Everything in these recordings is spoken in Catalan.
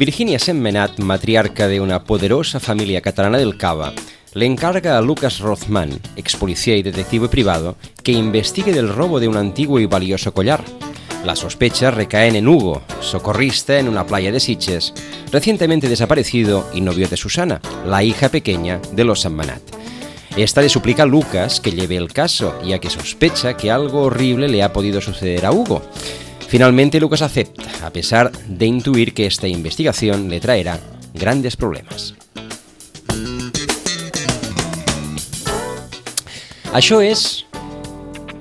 Virginia Sentmenat, matriarca de una poderosa familia catalana del Cava, le encarga a Lucas Rothman, ex policía y detective privado, que investigue del robo de un antiguo y valioso collar. Las sospechas recaen en Hugo, socorrista en una playa de Sitges, recientemente desaparecido y novio de Susana, la hija pequeña de los Sentmenat. Esta le suplica a Lucas que lleve el caso, ya que sospecha que algo horrible le ha podido suceder a Hugo. Finalmente Lucas acepta, a pesar de intuir que esta investigación le traerá grandes problemas. Això és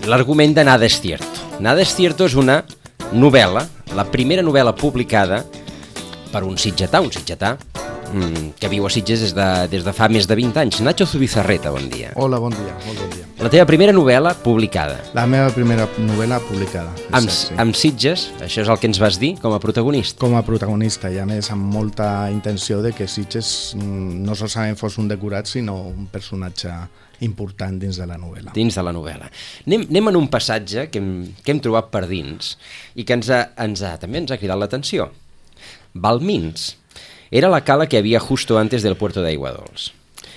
l'argument de Nada es cierto. Nada es cierto és una novel·la, la primera novel·la publicada per un sitgetà que viu a Sitges des de fa més de 20 anys. Nacho Zubizarreta, bon dia. Hola, bon dia, molt bon dia. La teva primera novel·la publicada. La meva primera novel·la publicada. Amb Sitges, això és el que ens vas dir com a protagonista. Com a protagonista, i a més amb molta intenció de que Sitges no solament fos un decorat, sinó un personatge important dins de la novel·la. Dins de la novel·la. Anem en un passatge que hem trobat per dins i que també ens ha cridat l'atenció. Balmins era la cala que había justo antes del puerto de Aiguadols.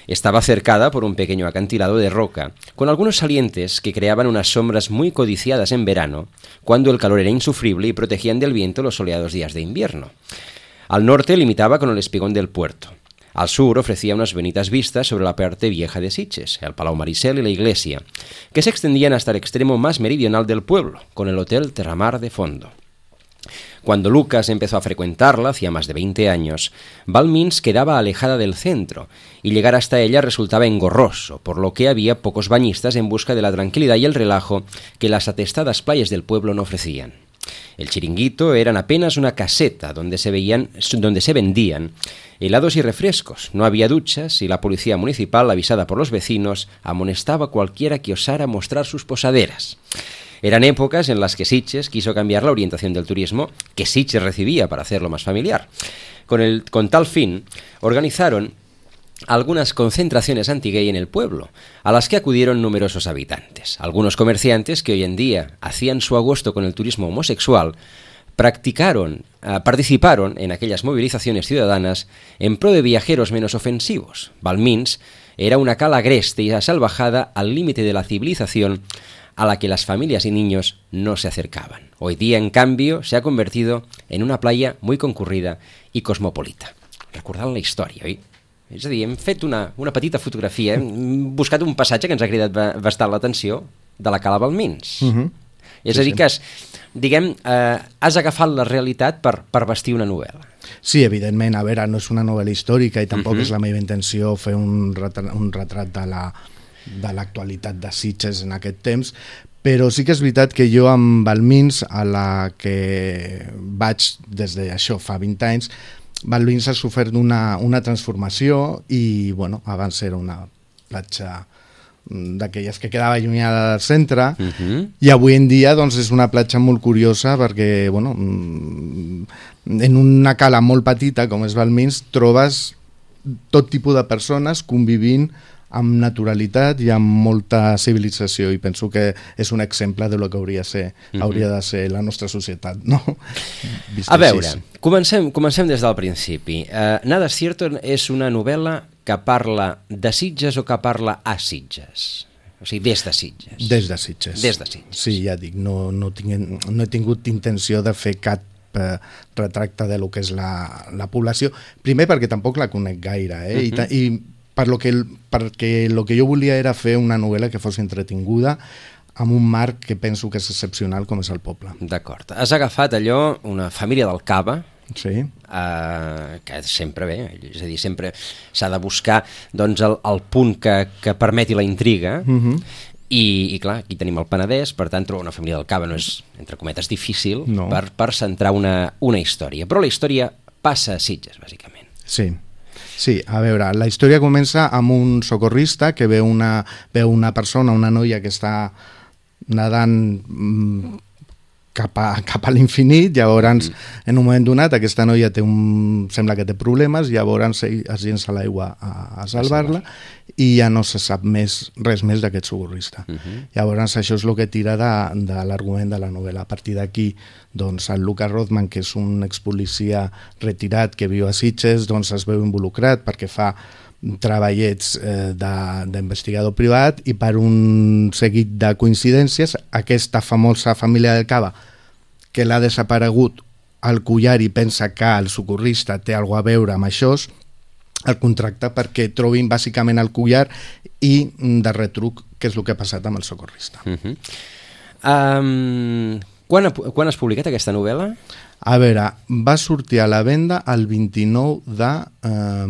Estaba cercada por un pequeño acantilado de roca, con algunos salientes que creaban unas sombras muy codiciadas en verano, cuando el calor era insufrible y protegían del viento los soleados días de invierno. Al norte limitaba con el espigón del puerto. Al sur ofrecía unas bonitas vistas sobre la parte vieja de Sitges, el Palau Maricel y la iglesia, que se extendían hasta el extremo más meridional del pueblo, con el Hotel Terramar de fondo. Cuando Lucas empezó a frecuentarla, hacía más de 20 años, Balmins quedaba alejada del centro, y llegar hasta ella resultaba engorroso, por lo que había pocos bañistas en busca de la tranquilidad y el relajo que las atestadas playas del pueblo no ofrecían. El chiringuito eran apenas una caseta donde se vendían helados y refrescos. No había duchas y la policía municipal, avisada por los vecinos, amonestaba a cualquiera que osara mostrar sus posaderas. Eran épocas en las que Sitges quiso cambiar la orientación del turismo que Sitges recibía para hacerlo más familiar. Con tal fin, organizaron algunas concentraciones anti-gay en el pueblo, a las que acudieron numerosos habitantes. Algunos comerciantes que hoy en día hacían su agosto con el turismo homosexual participaron en aquellas movilizaciones ciudadanas en pro de viajeros menos ofensivos. Balmins era una cala agreste y salvajada al límite de la civilización a la que las familias y niños no se acercaban. Hoy día, en cambio, se ha convertido en una playa muy concurrida y cosmopolita. Recordant la història, oi? És a dir, hem fet una petita fotografia, hem buscat un passatge que ens ha cridat bastant l'atenció de la cala Balmins. És a dir, que has agafat la realitat per vestir una novel·la. Sí, evidentment, a veure, no és una novel·la històrica i tampoc és la meva intenció fer un retrat de l'actualitat de Sitges en aquest temps, però sí que és veritat que jo amb Balmins, a la que vaig des d'això fa 20 anys, Balmins ha sofert una transformació i, bueno, abans era una platja d'aquelles que quedava allunyada del centre i avui en dia doncs, és una platja molt curiosa perquè, bueno, en una cala molt petita com és Balmins trobes tot tipus de persones convivint amb naturalitat i amb molta civilització i penso que és un exemple de lo que hauria de ser la nostra societat, no? A veure, comencem des del principi. Nada es cierto és una novel·la que parla de Sitges o que parla a Sitges? O sigui, des de Sitges. Des de Sitges. Des de Sitges. Sí, ja dic, no he tingut intenció de fer cap retracte de lo que és la població. Primer perquè tampoc la conec gaire, i perquè el que jo volia era fer una novel·la que fos entretinguda amb un marc que penso que és excepcional com és el poble. D'acord. Has agafat allò, una família del Cava, sí. Que sempre bé, és a dir, sempre s'ha de buscar doncs, el punt que permeti la intriga, i clar, aquí tenim el Penedès, per tant trobar una família del Cava no és, entre cometes, difícil per centrar una història, però la història passa a Sitges, bàsicament. Sí, a veure, la història comença amb un socorrista que veu una persona, una noia que està nedant cap a l'infinit. Llavors, en un moment donat, aquesta noia sembla que té problemes, llavors es llença a l'aigua a salvar-la i ja no se sap res més d'aquest socorrista. Llavors, això és el que tira de l'argument de la novel·la. A partir d'aquí, doncs, el Lucas Rothman, que és un expolicia retirat que viu a Sitges, doncs es veu involucrat perquè fa treballets d'investigador privat i per un seguit de coincidències aquesta famosa família del Cava que l'ha desaparegut al collar i pensa que el socorrista té alguna a veure amb això, el contracta perquè trobin bàsicament el collar i de retruc què és el que ha passat amb el socorrista. Quan has publicat aquesta novel·la? A veure, va sortir a la venda el 29 de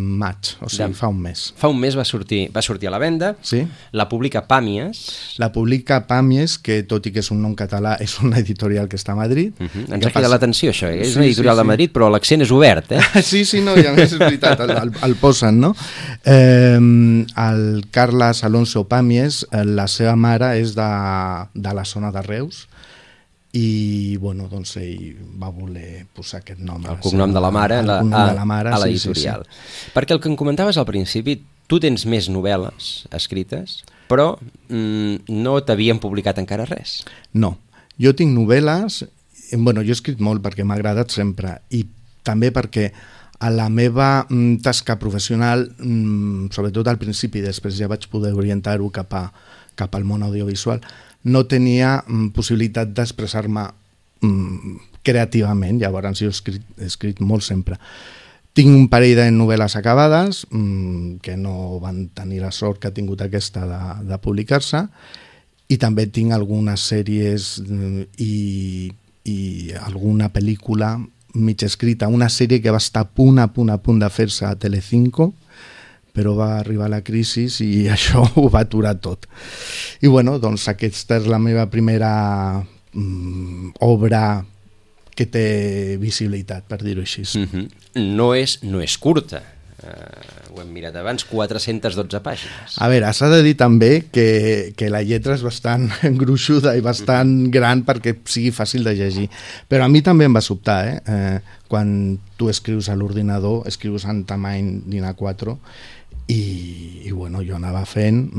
maig, o sigui, fa un mes. Fa un mes va sortir a la venda, sí. La publica Pàmies. La publica Pàmies, que tot i que és un nom català, és una editorial que està a Madrid. Ens ha cridat l'atenció això, és una editorial de Madrid, però l'accent és obert, Sí, no, i a més és veritat, el posen, no? El Carles Alonso Pàmies, la seva mare és de la zona de Reus, i bueno, doncs ell va voler posar aquest nom el cognom de la mare a l'editorial. Perquè el que em comentaves al principi, tu tens més novel·les escrites, però no t'havien publicat encara res. No, jo tinc novel·les, bueno, jo he escrit molt perquè m'ha agradat sempre i també perquè a la meva tasca professional, sobretot al principi, després ja vaig poder orientar-ho cap al món audiovisual, no tenia possibilitat d'expressar-me creativament, llavors jo he escrit molt sempre. Tinc un parell de novel·les acabades que no van tenir la sort que ha tingut aquesta de publicar-se, i també tinc algunes sèries i alguna pel·lícula mig escrita, una sèrie que va estar a punt de fer-se a Telecinco, però va arribar la crisi i això ho va aturar tot. I bueno, doncs aquesta és la meva primera obra que té visibilitat, per dir-ho així. No és curta, ho hem mirat abans, 412 pàgines. A veure, s'ha de dir també que la lletra és bastant gruixuda i bastant gran perquè sigui fàcil de llegir, però a mi també em va sobtar, quan tu escrius a l'ordinador, escrius en tamany DIN A4 i bueno, jo anava fent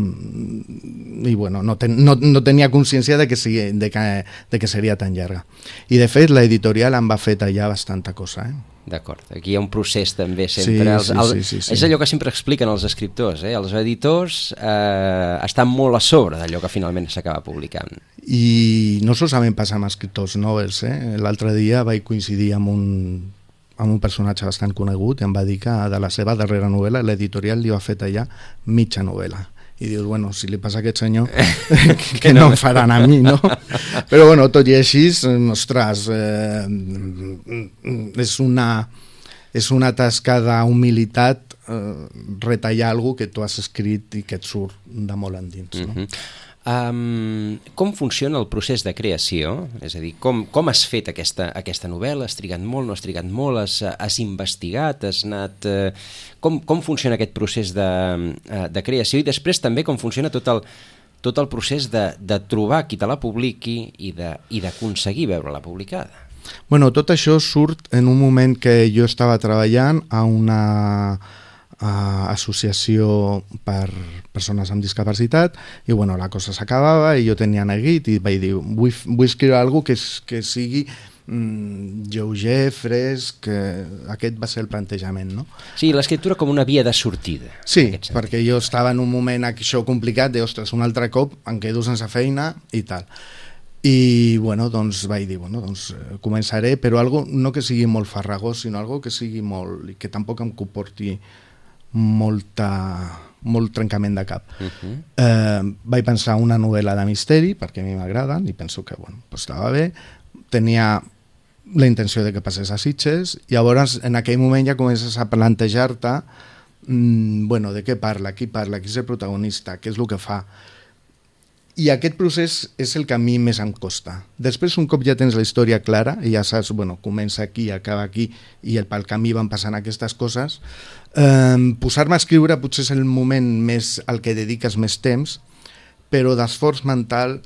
i bueno, no tenia consciència de que seria tan llarga, i de fet l'editorial em va fer tallar bastanta cosa. D'acord, aquí hi ha un procés també sempre. Sí. És allò que sempre expliquen els escriptors, els editors estan molt a sobre d'allò que finalment s'acaba publicant. I no solament passa amb escriptors noves, l'altre dia vaig coincidir amb un personatge bastant conegut i em va dir que de la seva darrera novel·la l'editorial li va fer tallar mitja novel·la. I dius, bueno, si li passa a aquest senyor, que no em faran a mi, no? Però bueno, tot i així, ostres, és una tasca d'humilitat retallar alguna que tu has escrit i que et surt de molt endins, no? Com funciona el procés de creació? És a dir, com has fet aquesta novel·la? Has trigat molt, no has trigat molt? Has investigat? Has anat... Com funciona aquest procés de creació? I després també com funciona tot el procés de trobar qui te la publiqui i d'aconseguir veure-la publicada? Bueno, tot això surt en un moment que jo estava treballant a una associació per persones amb discapacitat i bueno, la cosa s'acabava i jo tenia neguit i vaig dir, vull escriure alguna cosa que sigui lleuger, fresc, aquest va ser el plantejament, no? Sí, l'escriptura com una via de sortida. Sí, perquè jo estava en un moment això complicat de, ostres, un altre cop em quedo sense feina i tal. I bueno, doncs vaig dir, bueno, doncs començaré, però algo no que sigui molt farragós, sinó algo que sigui molt, i que tampoc em comporti molt trencament de cap. Vaig pensar una novel·la de misteri, perquè a mi m'agraden, i penso que bueno, pues estava bé. Tenia la intenció de que passés a Sitges, i llavors en aquell moment ja comences a plantejar-te bueno, de què parla, qui és el protagonista, què és el que fa. I aquest procés és el que a mi més em costa. Després, un cop ja tens la història clara i ja saps, bueno, comença aquí, acaba aquí i pel camí van passant aquestes coses, posar-me a escriure potser és el moment més al que dediques més temps, però d'esforç mental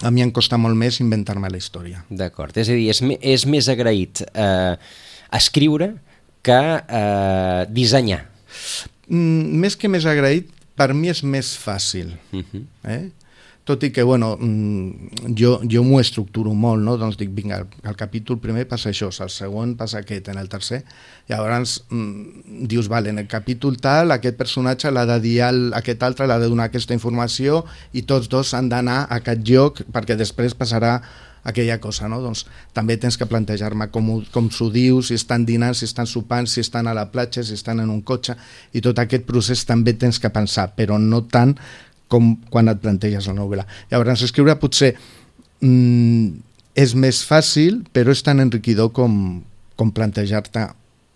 a mi em costa molt més inventar-me la història. D'acord, és a dir, és més agraït escriure que dissenyar. Més que més agraït, per mi és més fàcil. Tot i que, bueno, jo m'ho estructuro molt, no? Doncs dic, vinga, al capítol primer passa això, al segon passa aquest, en el tercer. Llavors dius, vale, en el capítol tal, aquest personatge l'ha de dir aquest altre, l'ha de donar aquesta informació i tots dos han d'anar a aquest lloc perquè després passarà aquella cosa, no? Doncs també tens que plantejar-me com s'ho diu, si estan dinant, si estan sopant, si estan a la platja, si estan en un cotxe, i tot aquest procés també tens que pensar, però no tant com quan et planteges la novel·la. Llavors, escriure potser és més fàcil, però és tan enriquidor com plantejar-te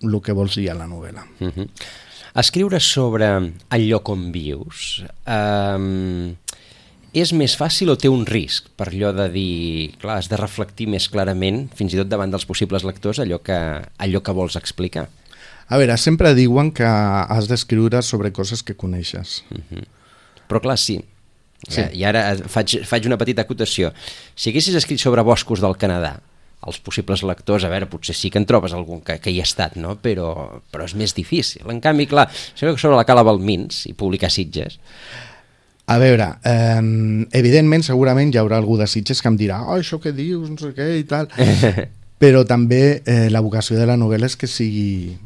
el que vols dir a la novel·la. Escriure sobre el lloc on vius és més fàcil o té un risc per allò de dir, clar, has de reflectir més clarament, fins i tot davant dels possibles lectors, allò que vols explicar? A veure, sempre diuen que has d'escriure sobre coses que coneixes. Però clar, sí. I ara faig una petita acotació. Si haguessis escrit sobre boscos del Canadà, els possibles lectors, a veure, potser sí que en trobes algun que hi ha estat, no? Però és més difícil. En canvi, clar, sobre la Cala Balmins i publicar Sitges... A veure, evidentment, segurament hi haurà algú de Sitges que em dirà això que dius, no sé què i tal, però també la vocació de la novel·la és que sigui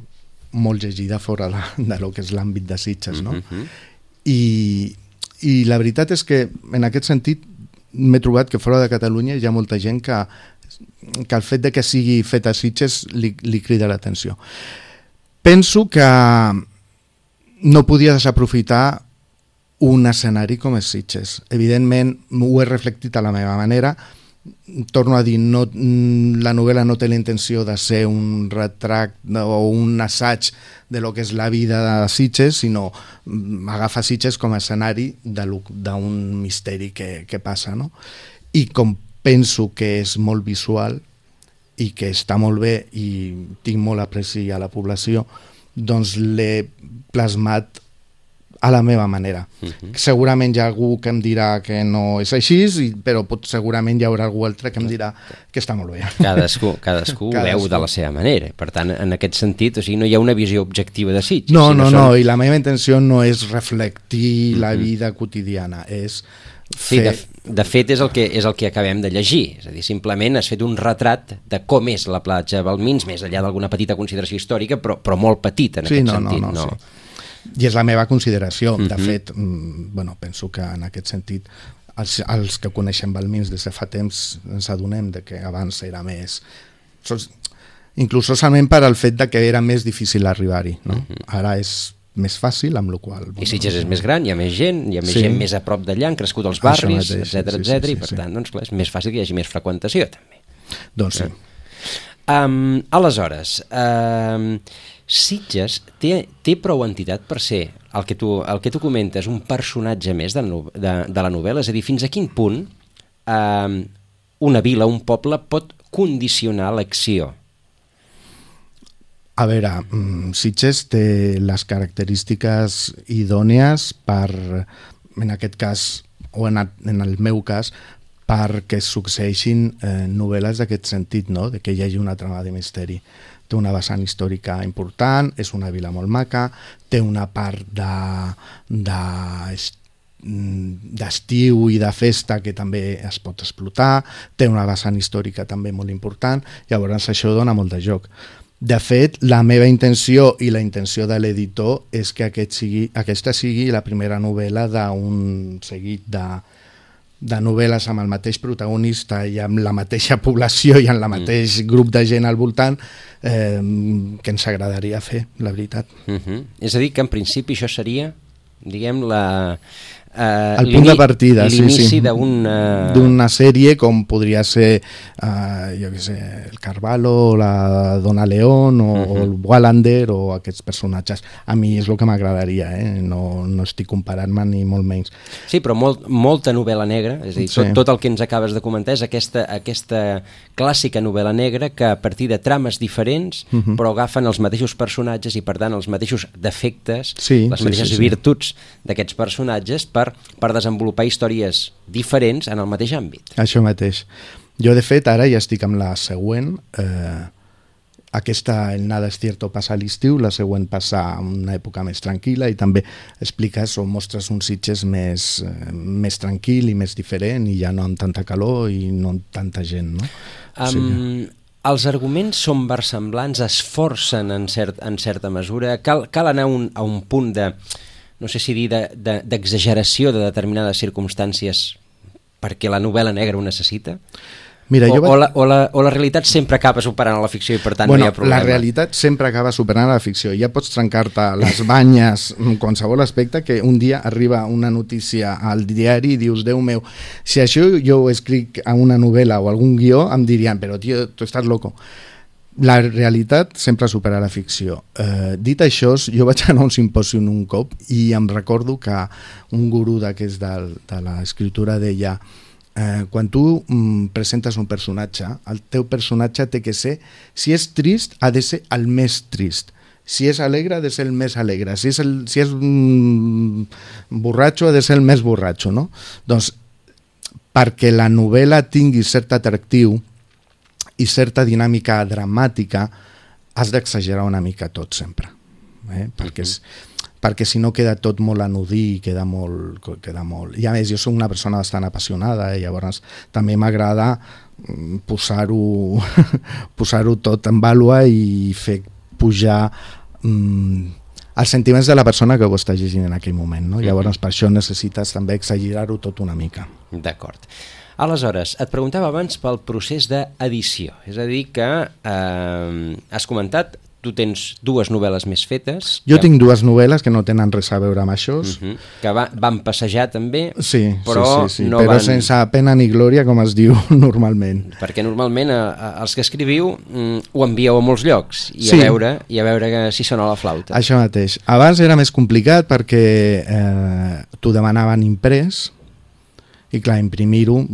molt llegida fora de lo que és l'àmbit de Sitges, no? I la veritat és que en aquest sentit m'he trobat que fora de Catalunya hi ha molta gent que el fet de que sigui fet a Sitges li crida l'atenció. Penso que no podia desaprofitar un escenari com és Sitges. Evidentment ho he reflectit a la meva manera. Torno a dir, la novel·la no té la intenció de ser un retrat o un assaig de lo que és la vida de Sitges, sinó agafa Sitges com a escenari d'un misteri que passa, no? I com penso que és molt visual i que està molt bé i tinc molt apreci a la població, doncs l'he plasmat a la meva manera. Segurament hi ha algú que em dirà que no és així, però segurament hi haurà algú altre que em dirà que està molt bé. Cadascú ho veu de la seva manera. Per tant, en aquest sentit, o sigui, no hi ha una visió objectiva de Sitges. No, i la meva intenció no és reflectir la vida quotidiana, és fer... Sí, de fet és el que acabem de llegir, és a dir, simplement has fet un retrat de com és la platja Balmins, més enllà d'alguna petita consideració històrica, però molt petita en aquest sentit. Sí. I és la meva consideració. De fet, penso que en aquest sentit els que coneixem Balmins des de fa temps ens adonem de que abans era més... Inclús solament per al fet de que era més difícil arribar-hi. No? Ara és més fàcil, amb la qual... I Sitges és més gran, hi ha més gent, gent més a prop d'allà, han crescut els barris, etc, i per tant, doncs clar, és més fàcil que hi hagi més freqüentació, també. Doncs sí. Aleshores, Sitges té prou entitat per ser el que tu comentes, un personatge més de la novel·la, és a dir, fins a quin punt una vila, un poble pot condicionar l'acció? A veure, Sitges té les característiques idònies per, en aquest cas, o en el meu cas, perquè succeeixin novel·les d'aquest sentit, no? De que hi hagi una trama de misteri. Té una vessant històrica important, és una vila molt maca, té una part d'estiu i de festa que també es pot explotar, té una vessant històrica també molt important, llavors això dona molt de joc. De fet, la meva intenció i la intenció de l'editor és que aquesta sigui la primera novel·la d'un seguit de novel·les amb el mateix protagonista i amb la mateixa població i amb el mateix grup de gent al voltant que ens agradaria fer, la veritat. És a dir, que en principi això seria, diguem, el punt de partida, l'inici d'una sèrie com podria ser jo què sé, el Carvalho, la Dona León o el Wallander o aquests personatges. A mi és el que m'agradaria, no estic comparant-me ni molt menys. Sí, però molta novel·la negra, és a dir, tot el que ens acabes de comentar és aquesta clàssica novel·la negra que a partir de trames diferents però agafen els mateixos personatges i per tant els mateixos defectes, les mateixes virtuts d'aquests personatges per per desenvolupar històries diferents en el mateix àmbit. Això mateix. Jo, de fet, ara ja estic amb la següent. Aquesta, El nada es cierto, passa a l'estiu, la següent passa a una època més tranquil·la i també expliques o mostres un Sitges més tranquil i més diferent i ja no amb tanta calor i no amb tanta gent, no? Els arguments són versemblants, es forcen en certa mesura, cal anar a un punt de, no sé si dir, d'exageració de determinades circumstàncies perquè la novel·la negra ho necessita? Mira, o la realitat sempre acaba superant a la ficció i per tant no hi ha problema? La realitat sempre acaba superant a la ficció. Ja pots trencar-te les banyes en qualsevol aspecte que un dia arriba una notícia al diari i dius, Déu meu, si això jo ho escric a una novel·la o algun guió em dirien, però tio, tu estàs loco. La realitat sempre supera la ficció. Dit això, jo vaig anar a un simposium un cop i em recordo que un gurú d'aquests de l'escriptura deia quan tu presentes un personatge, el teu personatge té que ser, si és trist, ha de ser el més trist. Si és alegre, ha de ser el més alegre. Si és borratxo, ha de ser el més borratxo, no? Doncs, perquè la novel·la tingui cert atractiu i certa dinàmica dramàtica, has d'exagerar una mica tot sempre. Perquè si no queda tot molt anodí i queda molt... I a més, jo soc una persona bastant apassionada i llavors també m'agrada posar-ho tot en vàlua i fer pujar els sentiments de la persona que ho està llegint en aquell moment, no? Llavors per això necessites també exagerar-ho tot una mica. D'acord. Aleshores, et preguntava abans pel procés d'edició, és a dir que has comentat tu tens dues novel·les més fetes. Jo tinc dues novel·les que no tenen res a veure amb això. Que van passejar també, però sense pena ni glòria, com es diu normalment. Perquè normalment els que escriviu ho envieu a molts llocs i a veure si sona la flauta. Això mateix. Abans era més complicat perquè t'ho demanaven imprès i clar, imprimir-ho,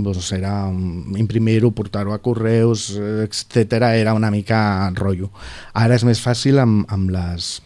portar-ho a correus, etc. era una mica rotllo. Ara és més fàcil amb les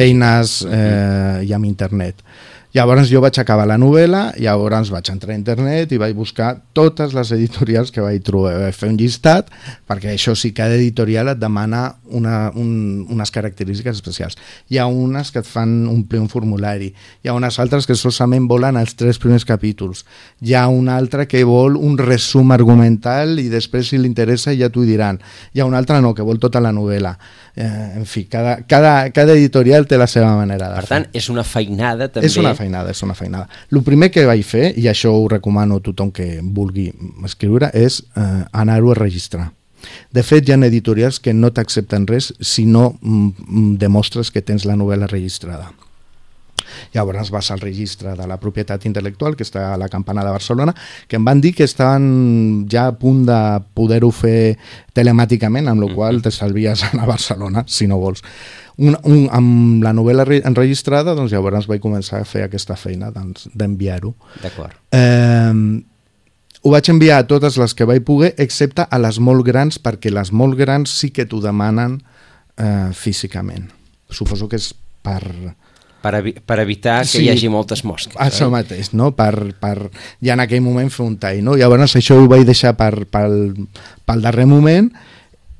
eines i amb internet. Llavors jo vaig acabar la novel·la, llavors vaig entrar a internet i vaig buscar totes les editorials que vaig trobar. Vaig fer un llistat, perquè això sí, cada editorial et demana unes característiques especials. Hi ha unes que et fan omplir un formulari, hi ha unes altres que solament volen els 3 primers capítols, hi ha una altra que vol un resum argumental i després si li interessa ja t'ho diran, hi ha una altra no, que vol tota la novel·la. En fi, cada editorial té la seva manera de fer. Per tant, és una feinada també. És una feinada. El primer que vaig fer, i això ho recomano a tothom que vulgui escriure, és anar-ho a registrar. De fet, hi ha editorials que no t'accepten res si no demostres que tens la novel·la registrada. Llavors vas al registre de la propietat intel·lectual que està a la Campana de Barcelona, que em van dir que estaven ja a punt de poder-ho fer telemàticament, amb la qual t'estalvies anar a Barcelona, si no vols. Amb la novel·la enregistrada, doncs llavors vaig començar a fer aquesta feina d'enviar-ho. D'acord. Ho vaig enviar a totes les que vaig poder, excepte a les molt grans, perquè les molt grans sí que t'ho demanen físicament. Suposo que és per evitar que hi hagi moltes mosques. Això mateix, no? Per ja en aquell moment fer un tall, no? Llavors això ho vaig deixar pel darrer moment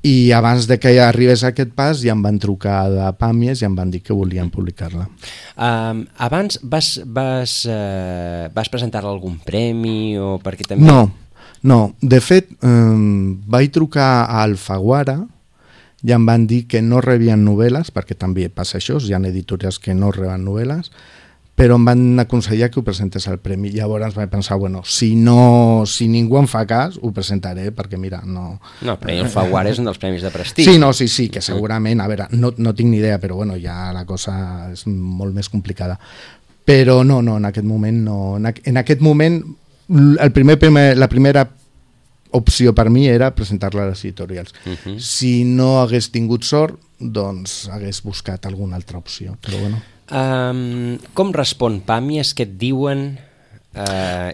i abans de que arribés a aquest pas ja em van trucar de Pàmies i em van dir que volien publicar-la. Abans vas presentar-la a algun premi o perquè també... No. De fet, vaig trucar a Alfaguara i em van dir que no rebien novel·les, perquè també passa això, hi ha editorials que no reben novel·les, però em van aconsellar que ho presentés al premi. Llavors vaig pensar, si ningú em fa cas, ho presentaré, perquè mira, no... No, però el Alfaguara és un dels premis de prestigi. Sí, que segurament, a veure, no tinc ni idea, però ja la cosa és molt més complicada. Però no, en aquest moment no. En aquest moment, la primera opció per mi era presentar-la a les editorials. Si no hagués tingut sort, doncs hagués buscat alguna altra opció, però bueno. Com respon Pàmies, què et diuen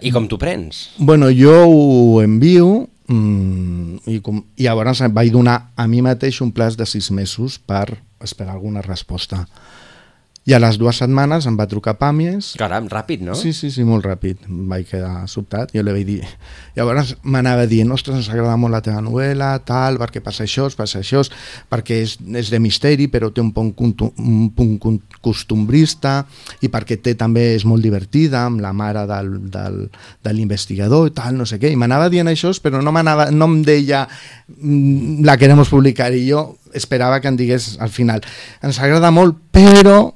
i com t'ho prens? Jo ho envio i llavors vaig donar a mi mateix un plaç de 6 mesos per esperar alguna resposta. I a les 2 setmanes em va trucar Pàmies. Caram, ràpid, no? Sí, molt ràpid. Em vaig quedar sobtat. Jo li vaig dir... Llavors m'anava dient, ostres, ens agrada molt la teva novel·la, tal, perquè passa això, perquè és de misteri, però té un punt costumbrista, i perquè també és molt divertida, amb la mare de l'investigador i tal, no sé què. I m'anava dient això, però no em deia la queremos publicar, i jo esperava que em digués al final, ens agrada molt, però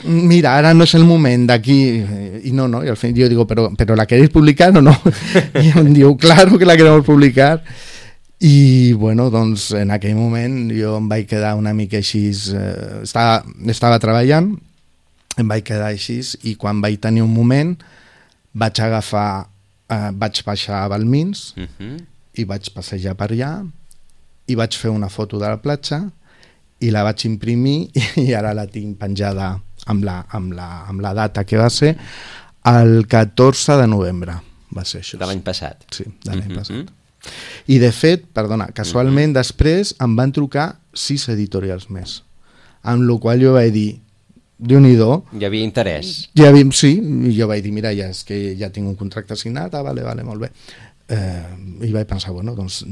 mira, ara no és el moment d'aquí, i no, i al final jo digo, però la queréis publicar o no? I em diu, claro que la queremos publicar. I bueno, doncs en aquell moment jo em vaig quedar una mica així, estava treballant, em vaig quedar així, i quan vaig tenir un moment vaig baixar a Balmins i vaig passejar per allà i vaig fer una foto de la platja i la vaig imprimir i ara la tinc penjada amb la data que va ser el 14 de novembre, va ser això. De l'any passat. Sí, de l'any passat. I de fet, perdona, casualment després em van trucar 6 editorials més, amb la qual jo vaig dir, Déu-n'hi-do. Hi havia interès. Sí, i jo vaig dir, mira, és que ja tinc un contracte signat, vale, molt bé. I vaig pensar, bueno, doncs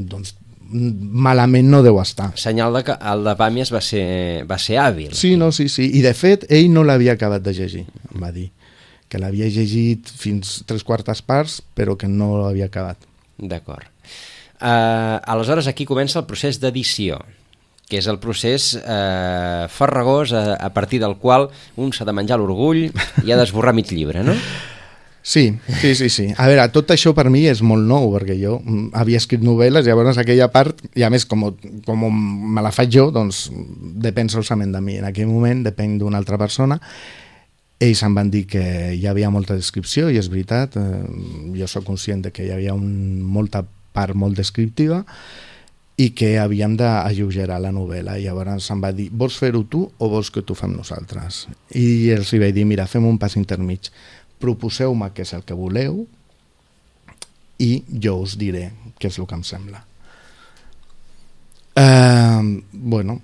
malament no deu estar. Senyal de que el de Pàmies va ser hàbil. Sí, i de fet ell no l'havia acabat de llegir, em va dir que l'havia llegit fins 3/4 parts però que no l'havia acabat. D'acord. Aleshores aquí comença el procés d'edició, que és el procés farragós a partir del qual un s'ha de menjar l'orgull i ha d'esborrar mig llibre, no? Sí. A veure, tot això per mi és molt nou, perquè jo havia escrit novel·les, llavors aquella part, i a més, com me la faig jo, doncs depèn solament de mi. En aquell moment depèn d'una altra persona. Ells em van dir que hi havia molta descripció, i és veritat, jo sóc conscient de que hi havia molta part molt descriptiva, i que havíem d'alleugerar la novel·la. I llavors em va dir, vols fer-ho tu o vols que t'ho fem nosaltres? I els vaig dir, mira, fem un pas intermig. Proposeu-me què és el que voleu i jo us diré què és el que em sembla. Bueno,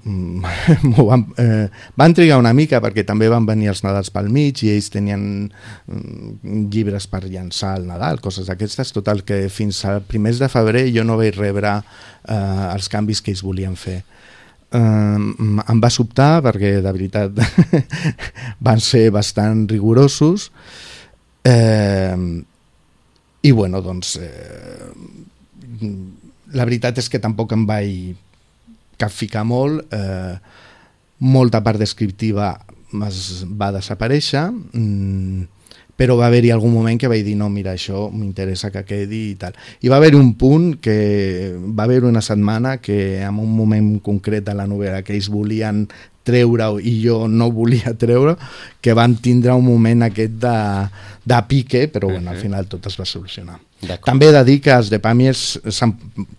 van trigar una mica perquè també van venir els Nadals pel mig i ells tenien llibres per llançar al Nadal, coses d'aquestes. Total, que fins a primers de febrer jo no vaig rebre els canvis que ells volien fer. Em va sobtar perquè de veritat van ser bastant rigorosos. I bueno, doncs la veritat és que tampoc em vaig capficar molt, molta part descriptiva va desaparèixer, però va haver-hi algun moment que vaig dir no, mira, això m'interessa que quedi i tal. I va haver un punt que va haver una setmana que en un moment concret de la novel·la que ells volien treure-ho i jo no volia treure, que vam tindre un moment aquest de pique, però bueno, al final tot es va solucionar. També he de dir que els de Pàmies,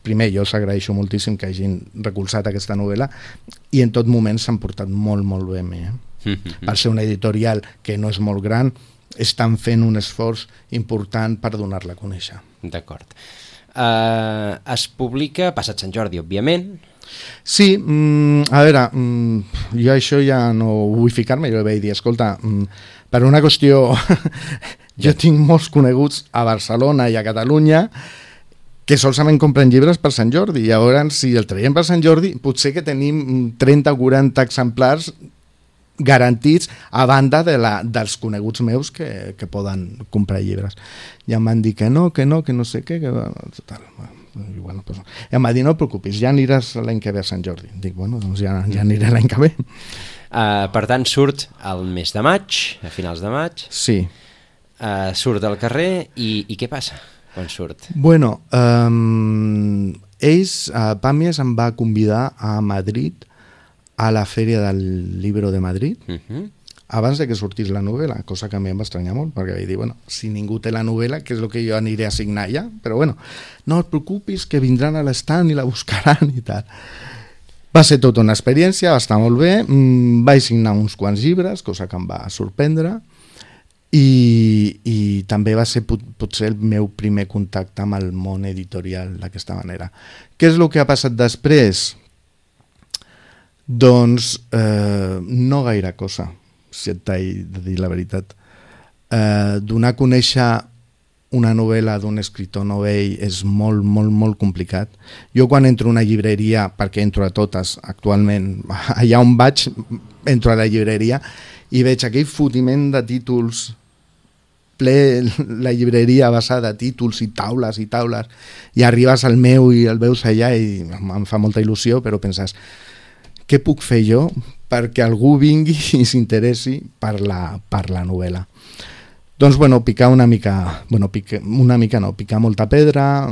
primer jo us agraeixo moltíssim que hagin recolzat aquesta novel·la i en tot moment s'han portat molt, molt bé amb mi. Per ser una editorial que no és molt gran, estan fent un esforç important per donar-la a conèixer. D'acord. Es publica passat Sant Jordi, òbviament. Sí, a veure, jo això ja no vull ficar-me, jo vaig dir, escolta, per una qüestió, jo tinc molts coneguts a Barcelona i a Catalunya que solament compren llibres per Sant Jordi, i llavors si el traiem per Sant Jordi potser que tenim 30 o 40 exemplars garantits a banda dels coneguts meus que poden comprar llibres. I em van dir que no sé què, total, i bueno, pues, em va dir, no et preocupis, ja aniràs l'any que ve a Sant Jordi. Dic, bueno, doncs ja aniré l'any que ve. Per tant, surt al mes de maig, a finals de maig. Sí. Surt al carrer i què passa quan surt? Bueno, Pàmies em va convidar a Madrid a la Fèria del Libro de Madrid, abans de que sortís la novel·la, cosa que a mi em va estranyar molt, perquè vaig dir, bueno, si ningú té la novel·la, què és el que jo aniré a signar ja? Però bueno, no et preocupis, que vindran a l'estand i la buscaran i tal. Va ser tota una experiència, va estar molt bé, vaig signar uns quants llibres, cosa que em va sorprendre, i també va ser potser el meu primer contacte amb el món editorial d'aquesta manera. Què és el que ha passat després? Doncs no gaire cosa, si et t'he de dir la veritat. Donar a conèixer una novel·la d'un escriptor novell és molt, molt, molt complicat. Jo quan entro a una llibreria, perquè entro a totes actualment, allà on vaig, entro a la llibreria i veig aquell fotiment de títols, ple la llibreria basada de títols i taules, i arribes al meu i el veus allà i em fa molta il·lusió, però penses, què puc fer jo perquè algú vingui i s'interessi per la novel·la? Doncs, picar una mica, picar molta pedra,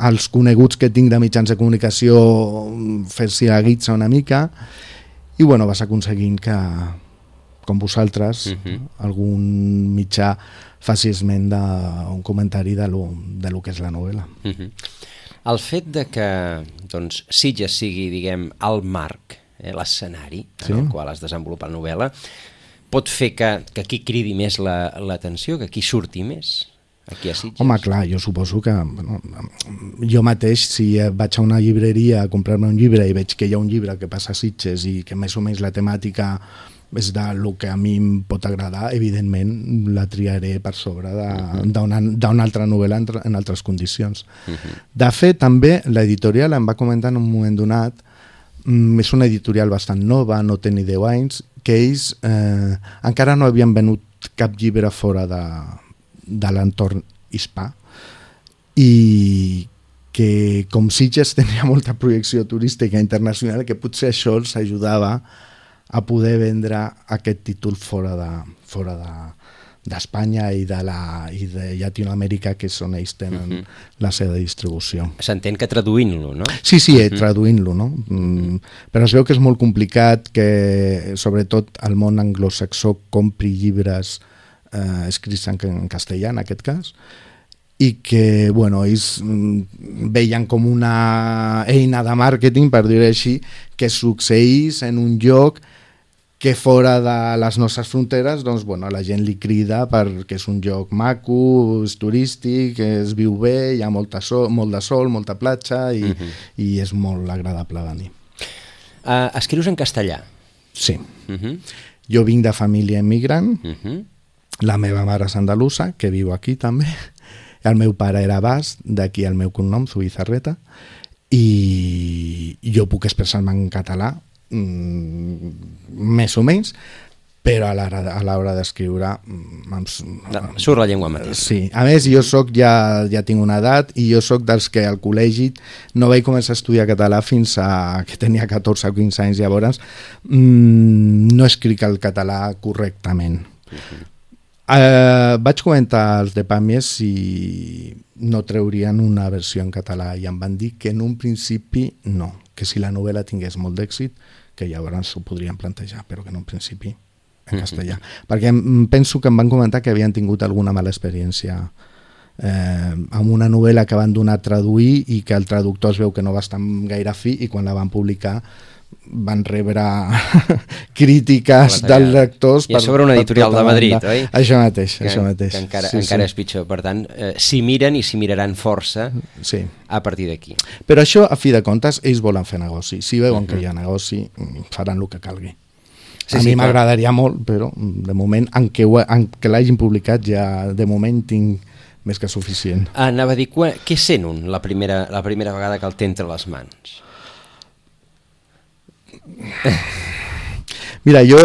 els coneguts que tinc de mitjans de comunicació fer-s'hi la guitza una mica i, vas aconseguint que, com vosaltres, algun mitjà faci esment d'un comentari de lo que és la novel·la. El fet de que Sitges sigui, diguem, el marc, l'escenari en el qual es desenvolupa la novel·la, pot fer que aquí cridi més l'atenció, que aquí surti més, aquí a Sitges? Home, clar, jo suposo que jo mateix, si vaig a una llibreria a comprar-me un llibre i veig que hi ha un llibre que passa a Sitges i que més o menys la temàtica és del que a mi em pot agradar, evidentment la triaré per sobre d'una altra novel·la en altres condicions. De fet, també l'editorial em va comentar en un moment donat, és una editorial bastant nova, no té ni 10 anys, que ells encara no havien venut cap llibre fora de l'entorn hispà i que com Sitges tenia molta projecció turística internacional, que potser això els ajudava a poder vendre aquest títol fora d'Espanya i de Llatinoamèrica, que és on ells tenen la seva distribució. S'entén que traduint-lo, no? Sí, traduint-lo, no? Però es veu que és molt complicat que, sobretot, el món anglosaxó compri llibres escrits en castellà, en aquest cas, i que, ells veien com una eina de màrqueting, per dir-ho així, que succeís en un lloc que fora de les nostres fronteres, la gent li crida perquè és un lloc maco, és turístic, es viu bé, hi ha molt de sol, molta platja i és molt agradable venir. Escrius en castellà? Sí. Jo vinc de família immigrant, la meva mare és andalusa, que viu aquí també, el meu pare era basc, d'aquí el meu cognom, Zubizarreta, i jo puc expressar-me en català, més o menys, però a l'hora d'escriure surt la llengua mateixa. Sí, a més jo ja tinc una edat i jo soc dels que al col·legi no vaig començar a estudiar català fins que tenia 14 o 15 anys, llavors no escric el català correctament. Vaig comentar als de Pàmies si no treurien una versió en català i em van dir que en un principi no, que si la novel·la tingués molt d'èxit, que llavors ho podrien plantejar, però que en un principi en castellà. Perquè penso que em van comentar que havien tingut alguna mala experiència amb una novel·la que van donar a traduir i que el traductor es veu que no va estar gaire fi i quan la van publicar van rebre crítiques dels lectors. I a sobre una editorial de Madrid, oi? Això mateix. Que encara és pitjor. Per tant, s'hi miren i s'hi miraran força a partir d'aquí. Però això, a fi de comptes, ells volen fer negoci. Si veuen que hi ha negoci, faran el que calgui. A mi m'agradaria molt, però de moment, en què l'hagin publicat, ja de moment tinc més que suficient. Anava a dir, què sent un la primera vegada que el té entre les mans? Mira, jo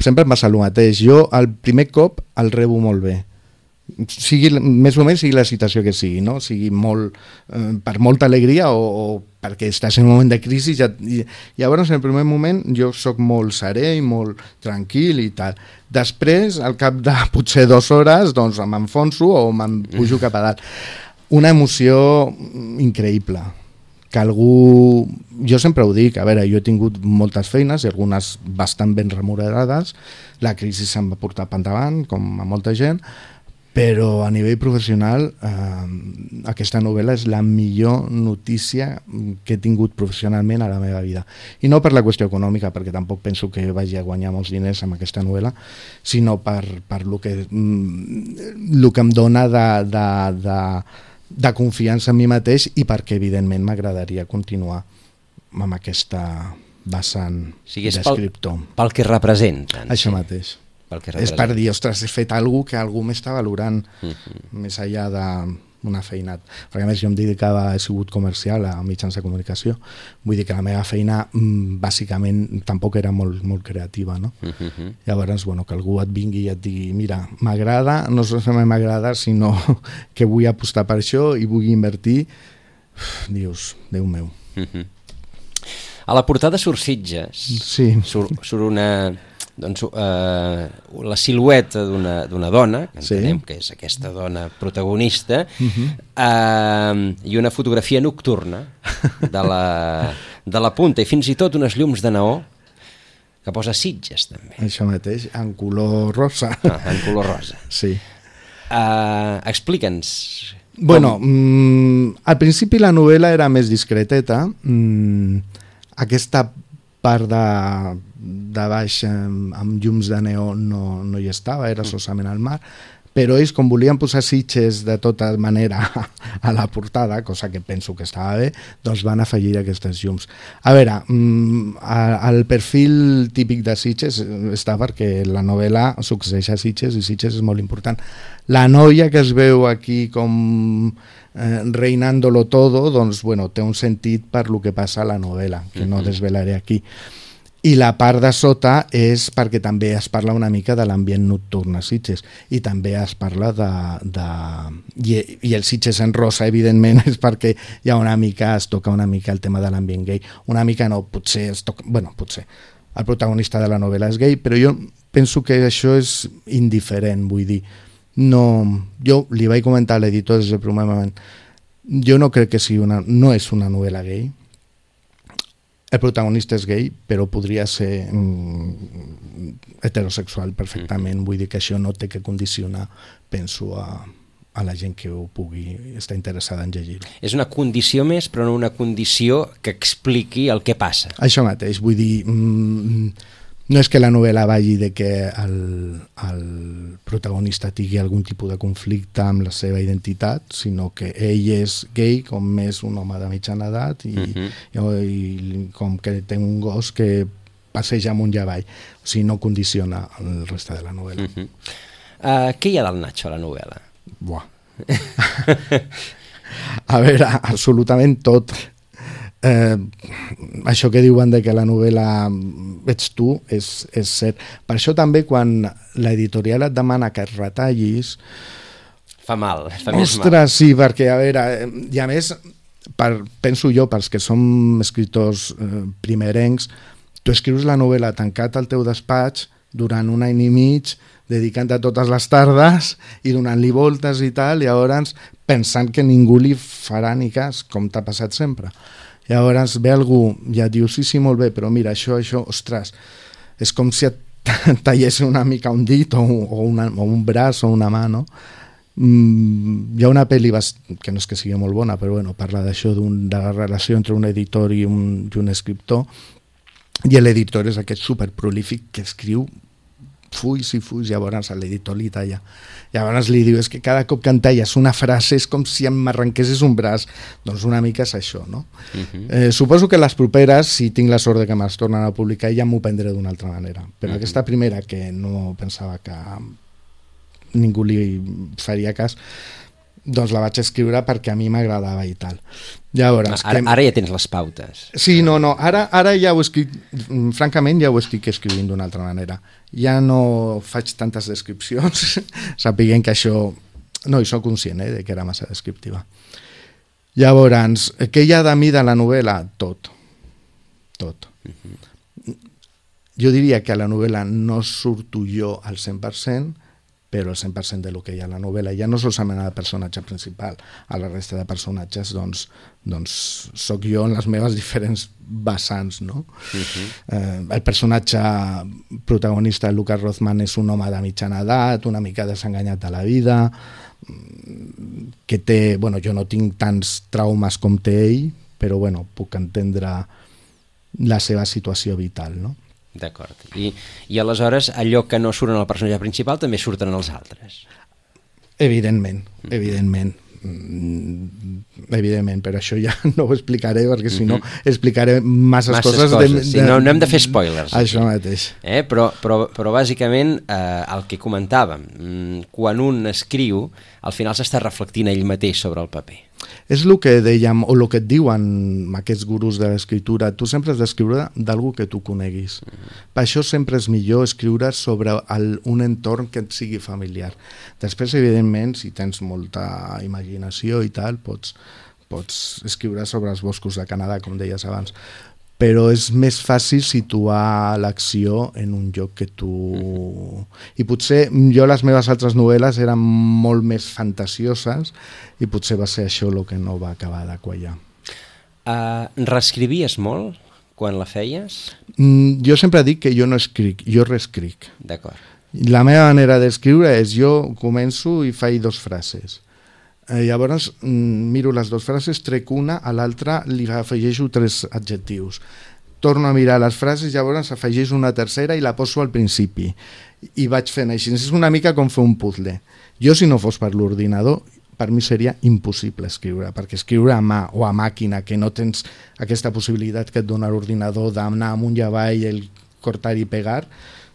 sempre em passa el mateix. Jo el primer cop el rebo molt bé, més o menys sigui la situació que sigui, no? Sigui molt per molta alegria o perquè estàs en un moment de crisi. Llavors en el primer moment jo soc molt serè i molt tranquil i tal. Després, al cap de potser 2 hores, doncs m'enfonso o me'n pujo cap a dalt. Una emoció increïble, que algú... Jo sempre ho dic, a veure, jo he tingut moltes feines i algunes bastant ben remunerades, la crisi se'm va portar per endavant, com a molta gent, però a nivell professional aquesta novel·la és la millor notícia que he tingut professionalment a la meva vida. I no per la qüestió econòmica, perquè tampoc penso que vagi a guanyar molts diners amb aquesta novel·la, sinó per lo que em dona de confiança en mi mateix i perquè evidentment m'agradaria continuar amb aquesta vessant és d'escriptor. Pel que representen. Això mateix. És per dir, ostres, he fet alguna que algú m'està valorant més enllà d'una feina. Perquè a més jo em dedicava, he sigut comercial a mitjans de comunicació, vull dir que la meva feina bàsicament tampoc era molt, molt creativa, no? Llavors, bueno, que algú et vingui i et digui mira, m'agrada, no solament m'agrada, sinó que vull apostar per això i vull invertir, dius, Déu meu. A la portada surt Sitges, surt una... doncs, la silueta d'una dona, que entenem que és aquesta dona protagonista, i una fotografia nocturna de la punta, i fins i tot unes llums de neó que posa Sitges, també. Això mateix, en color rosa. En color rosa. Sí. Explica'ns. Bueno, al principi la novel·la era més discreteta. Aquesta part de baix amb llums de neó no hi estava, era solament al mar, però ells, com volien posar Sitges de tota manera a la portada, cosa que penso que estava bé, doncs van afegir aquestes llums. A veure, el perfil típic de Sitges està perquè la novel·la succeeix a Sitges i Sitges és molt important. La noia que es veu aquí com reinándolo todo, doncs, bueno, té un sentit per lo que passa a la novel·la, que no desvelaré aquí. I la part de sota és perquè també es parla una mica de l'ambient nocturn a Sitges i també es parla i el Sitges en rosa, evidentment, és perquè hi ha una mica, es toca una mica el tema de l'ambient gay. Una mica no, potser es toca... Bueno, potser. El protagonista de la novel·la és gay, però jo penso que això és indiferent, vull dir. No, jo li vaig comentar a l'editor des del primer moment. Jo no crec que sigui no és una novel·la gay. El protagonista és gay, però podria ser heterosexual perfectament. Vull dir que això no té que condicionar, penso, a la gent que ho pugui estar interessada en llegir-ho. És una condició més, però no una condició que expliqui el que passa. Això mateix, vull dir... No és que la novel·la vagi de que el protagonista tingui algun tipus de conflicte amb la seva identitat, sinó que ell és gay, com és un home de mitjana edat, i com que té un gos que passeja amunt i avall. O sigui, no condiciona el reste de la novel·la. Què hi ha del Nacho a la novel·la? Buah. A veure, absolutament tot. Això que diuen de que la novel·la ets tu és cert. Per això també quan l'editorial et demana que et retallis fa mal, fa més mal. Ostres, sí, perquè a veure, i a més penso jo, pels que som escriptors primerencs, tu escrius la novel·la tancat al teu despatx durant un any i mig, dedicant-te totes les tardes i donant-li voltes i tal, i llavors pensant que ningú li farà ni cas, com t'ha passat sempre. Llavors ve algú i et diu sí, molt bé, però mira, això, ostres, és com si et tallés una mica un dit o un braç o una mà, no? Hi ha una pel·li que no és que sigui molt bona, però bueno, parla d'això, de la relació entre un editor i un escriptor, i l'editor és aquest superprolífic que escriu fulls i fulls, llavors l'editor li talla. Llavors li diu, és que cada cop que em talles una frase és com si m'arrenquessis un braç. Doncs una mica és això, no? Suposo que les properes, si tinc la sort de que me'ls tornen a publicar, ja m'ho prendré d'una altra manera. Però aquesta primera, que no pensava que ningú li faria cas, doncs la vaig escriure perquè a mi m'agradava i tal. Llavors, ara ja tens les pautes. Sí, no, ara ja ho escric, francament ja ho estic escrivint d'una altra manera. Ja no faig tantes descripcions, sapiguent que això... No, i soc conscient de que era massa descriptiva. Llavors, què hi ha de mi de la novel·la? Tot. Jo diria que a la novel·la no surto jo al 100%, però el 100% del que hi ha a la novel·la, ja no solament al personatge principal, a la resta de personatges, doncs sóc jo en les meves diferents vessants, no? El personatge protagonista, Lucas Rothman, és un home de mitjana edat, una mica desenganyat de la vida, que té... Bueno, jo no tinc tants traumes com té ell, però bueno, puc entendre la seva situació vital, no? D'acord. I aleshores allò que no surt en el personatge principal també surten els altres. Evidentment. evidentment, però això ja no ho explicaré, perquè si no explicaré masses coses. Sí, no hem de fer spoilers. Això mateix. Però bàsicament el que comentàvem, quan un escriu, al final s'està reflectint ell mateix sobre el paper. És el que dèiem, o el que et diuen aquests gurus de l'escriptura, tu sempre has d'escriure d'algú que tu coneguis. Per això sempre és millor escriure sobre un entorn que et sigui familiar. Després, evidentment, si tens molta imaginació i tal, pots escriure sobre els boscos de Canadà, com deies abans, però és més fàcil situar l'acció en un lloc que tu... I potser jo les meves altres novel·les eren molt més fantasioses i potser va ser això el que no va acabar de quallar. Reescrivies molt quan la feies? Jo sempre dic que jo no escric, jo reescric. D'acord. La meva manera d'escriure és jo començo i faig 2 frases. Llavors miro les 2 frases, trec una, a l'altra li afegeixo 3 adjectius. Torno a mirar les frases, llavors afegeixo una tercera i la poso al principi. I vaig fent així. És una mica com fer un puzzle. Jo, si no fos per l'ordinador, per mi seria impossible escriure, perquè escriure a mà o a màquina, que no tens aquesta possibilitat que et dona l'ordinador d'anar amunt i avall, el cortar i pegar,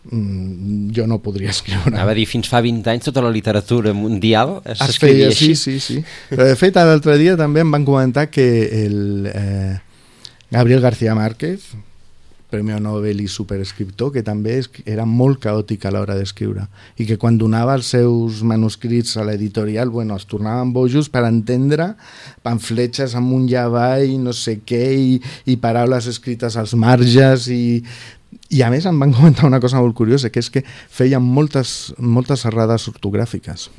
jo no podria escriure. Anava a dir, fins fa 20 anys tota la literatura mundial s'escrivia així. Sí. Però de fet, l'altre dia també em van comentar que el Gabriel García Márquez, Premi Nobel i superescriptor, que també era molt caòtic a l'hora d'escriure i que quan donava els seus manuscrits a l'editorial, es tornaven bojos per entendre pamfletges amunt i avall, no sé què, i paraules escrites als marges i a més em van comentar una cosa molt curiosa, que és que feien moltes errades ortogràfiques.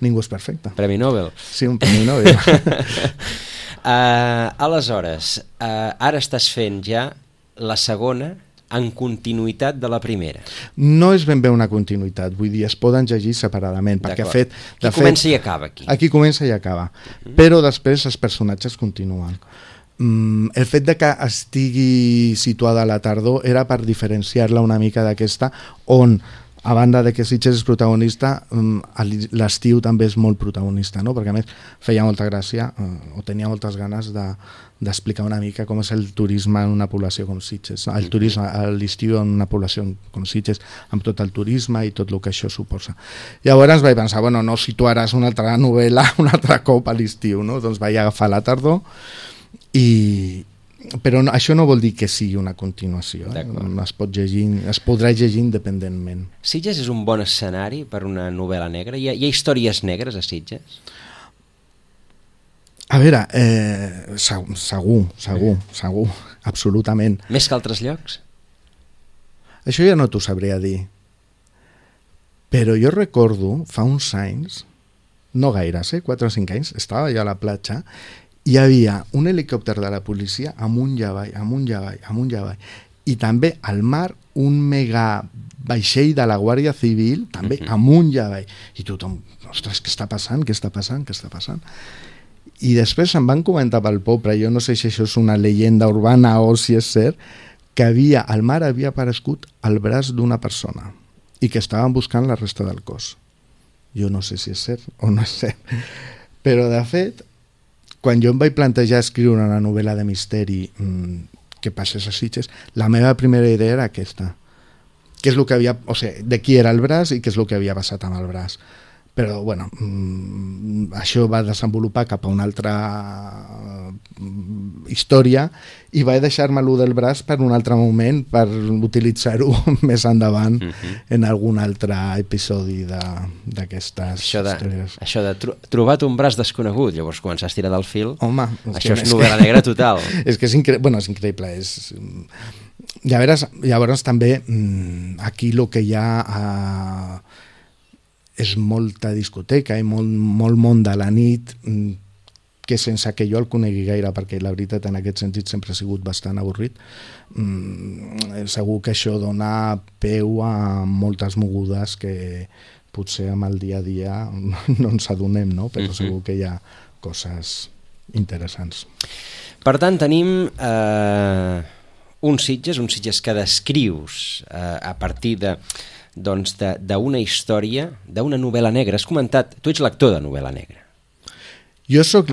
Ningú és perfecte. Premi Nobel. Sí, un Premi Nobel. Aleshores, ara estàs fent ja la segona en continuïtat de la primera. No és ben bé una continuïtat, vull dir, es poden llegir separadament, perquè Aquí comença i acaba. Aquí comença i acaba, però després els personatges continuen. El fet de que estigui situada a la tardor era per diferenciar-la una mica d'aquesta, on a banda de que Sitges és protagonista, l'estiu també és molt protagonista, no? Perquè a més feia molta gràcia o tenia moltes ganes d'explicar una mica com és el turisme en una població com Sitges, el turisme a l'estiu en una població com Sitges, amb tot el turisme i tot el que això suposa. Llavors vaig pensar, no situaràs una altra novel·la un altre cop a l'estiu, no? Doncs vaig agafar la tardor, però això no vol dir que sigui una continuació, es podrà llegir independentment. Sitges és un bon escenari per una novel·la negra? Hi ha històries negres a Sitges? A veure, segur, absolutament. Més que altres llocs? Això ja no t'ho sabria dir, però jo recordo fa uns anys, no gaires, 4 o 5 anys, estava allà a la platja, hi havia un helicòpter de la policia amunt i avall, i també al mar un mega vaixell de la Guàrdia Civil, també amunt i avall, i tothom, ostres, què està passant? I després em van comentar pel poble, jo no sé si això és una llegenda urbana o si és cert, que al mar havia aparegut el braç d'una persona i que estaven buscant la resta del cos. Jo no sé si és cert o no és cert, però de fet, quan jo em vaig plantejar escriure una novel·la de misteri que passés a Sitges, la meva primera idea era aquesta. Què és el que de qui era el braç i què és el que havia passat amb el braç. Però, això va desenvolupar cap a una altra història i vaig deixar-me allò del braç per un altre moment, per utilitzar-ho més endavant en algun altre episodi d'aquestes històries. Això de trobat un braç desconegut, llavors començar a estirar del fil. Home, això és novel·la negra total. És que és increïble. Llavors també aquí el que hi ha és molta discoteca i molt món de la nit, que sense que jo el conegui gaire, perquè la veritat en aquest sentit sempre ha sigut bastant avorrit, segur que això dona peu a moltes mogudes que potser amb el dia a dia no ens adonem, no? Però segur que hi ha coses interessants. Per tant, tenim un Sitges que descrius a partir d'una història, d'una novel·la negra. Has comentat, tu ets lector de novel·la negra. Jo soc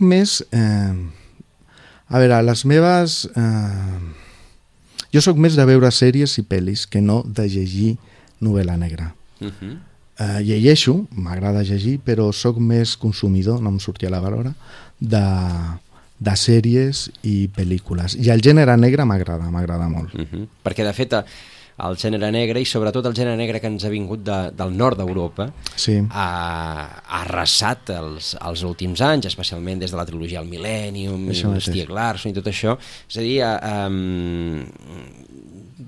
més... a veure, les meves... jo soc més de veure sèries i pel·lis que no de llegir novel·la negra. Llegeixo, m'agrada llegir, però sóc més consumidor, no em sortia la valora, de sèries i pel·lícules. I el gènere negre m'agrada molt. Perquè, de fet, el gènere negre, i sobretot el gènere negre que ens ha vingut del nord d'Europa, ha arrasat els últims anys, especialment des de la trilogia El Millennium, Stieg Larsson i tot això. És a dir,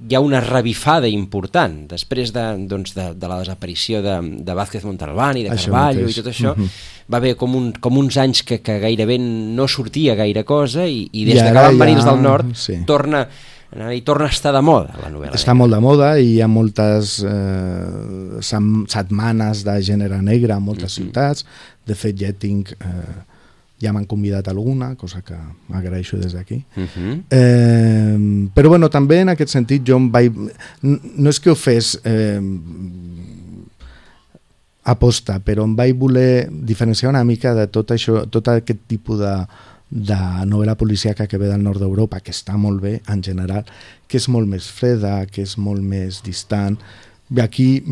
hi ha una revifada important després de la desaparició de Vázquez Montalbán i de Carballo i tot això. Va haver com uns anys que gairebé no sortia gaire cosa i des que van venir els del nord torna a estar de moda la novel·la. Està molt de moda i hi ha moltes setmanes de gènere negre en moltes ciutats. De fet, ja m'han convidat alguna, cosa que m'agraeixo des d'aquí. Però bueno, també en aquest sentit jo no és que ho fes aposta, però em vaig voler diferenciar una mica de tot això, tot aquest tipus de novel·la policíaca que ve del nord d'Europa, que està molt bé en general, que és molt més freda, que és molt més distant. Aquí,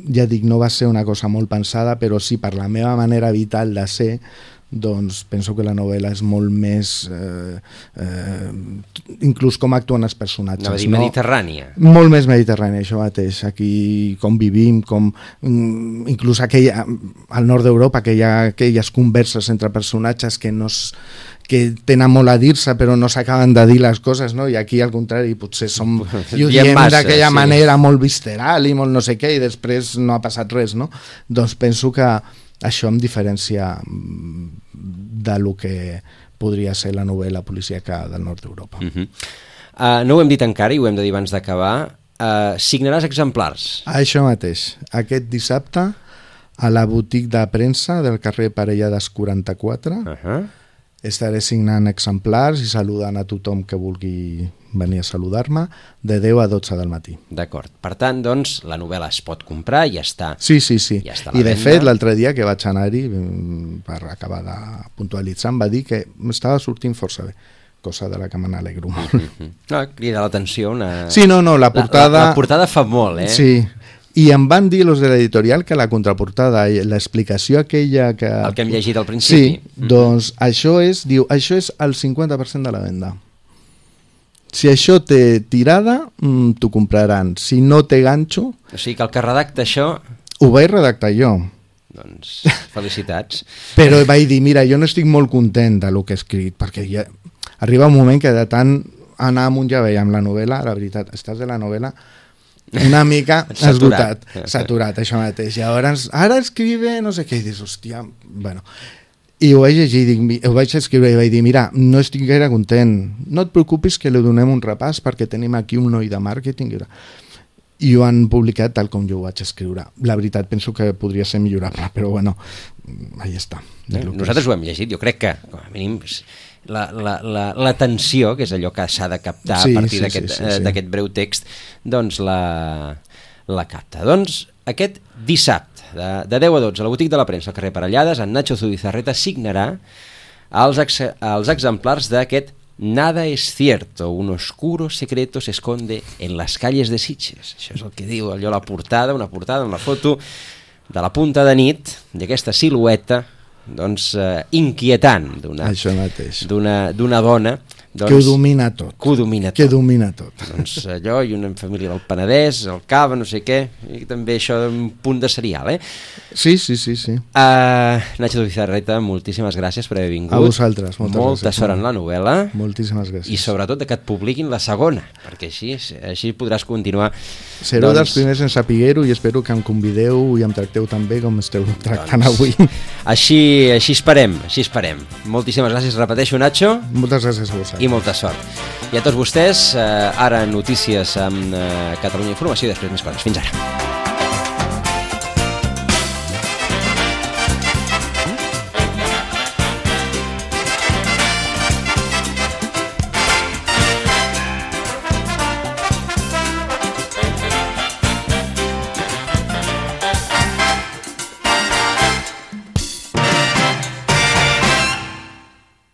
ja dic, no va ser una cosa molt pensada, però sí, per la meva manera vital de ser, doncs penso que la novel·la és molt més inclús com actuen els personatges. Anava a dir mediterrània. Molt més mediterrània, això mateix. Aquí com vivim, inclús al nord d'Europa, que hi ha aquelles converses entre personatges que tenen molt a dir-se però no s'acaben de dir les coses, no? I aquí al contrari potser i ho diem d'aquella manera molt visceral i molt no sé què i després no ha passat res, no? Doncs penso que això em diferencia de lo que podria ser la novel·la policíaca del nord d'Europa. No ho hem dit encara i ho hem de dir abans d'acabar. Signaràs exemplars? Això mateix. Aquest dissabte a la botiga de premsa del carrer Parellades 44 estaré signant exemplars i saludant a tothom que vulgui venir a saludar-me de 10 a 12 del matí. D'acord. Per tant, doncs, la novel·la es pot comprar i ja està. Sí. Ja està I de fet, l'altre dia que vaig anar-hi, per acabar de puntualitzar, em va dir que m'estava sortint força bé, cosa de la que me n'alegro molt. No, crida l'atenció una... Sí, no, la portada... La portada fa molt, eh? Sí. I em van dir los de l'editorial que la contraportada, l'explicació aquella que... El que hem llegit al principi. Sí, doncs això és el 50% de la venda. Si això té tirada, t'ho compraran. Si no té ganxo... O sigui que el que redacta això... Ho vaig redactar jo. Doncs felicitats. Però vaig dir, mira, jo no estic molt content de lo que he escrit, perquè ja arriba un moment que de tant anar amunt ja veiem la novel·la, la veritat, estàs de la novel·la una mica saturat, això mateix. I llavors, ara escribe no sé què, i dius, hòstia, bueno... I ho vaig llegir, ho vaig escriure i vaig dir, mira, no estic gaire content, no et preocupis que li donem un repàs perquè tenim aquí un noi de màrqueting i ho han publicat tal com jo ho vaig escriure. La veritat, penso que podria ser millorable, però bueno, ahí està. Nosaltres ho hem llegit, jo crec que com a mínim l'atenció, que és allò que s'ha de captar a partir d'aquest breu text, doncs la capta. Doncs aquest dissabte, de 10 a 12, a la botiga de la premsa al carrer Parellades, en Nacho Zubizarreta signarà els exemplars d'aquest Nada es cierto, un oscuro secreto se esconde en las calles de Sitges. Això és el que diu allò, una portada, una foto de la punta de nit, d'aquesta silueta doncs, inquietant d'una dona doncs, que ho domina tot. Que domina tot. Doncs allò, i una família del Penedès, el Cava, no sé què, i també això d'un punt de serial, eh? Sí. Nacho Zubizarreta, moltíssimes gràcies per haver vingut. A vosaltres, molta sort en la novel·la. Moltíssimes gràcies. I sobretot que et publiquin la segona, perquè així podràs continuar. Sereu dels primers en saber-ho i espero que em convideu i em tracteu tan bé com esteu tractant avui. Així esperem. Moltíssimes gràcies, repeteixo, Nacho. Moltes gràcies a vosaltres. I molta sort. I a tots vostès, ara notícies amb Catalunya Informació i després més coses. Fins ara.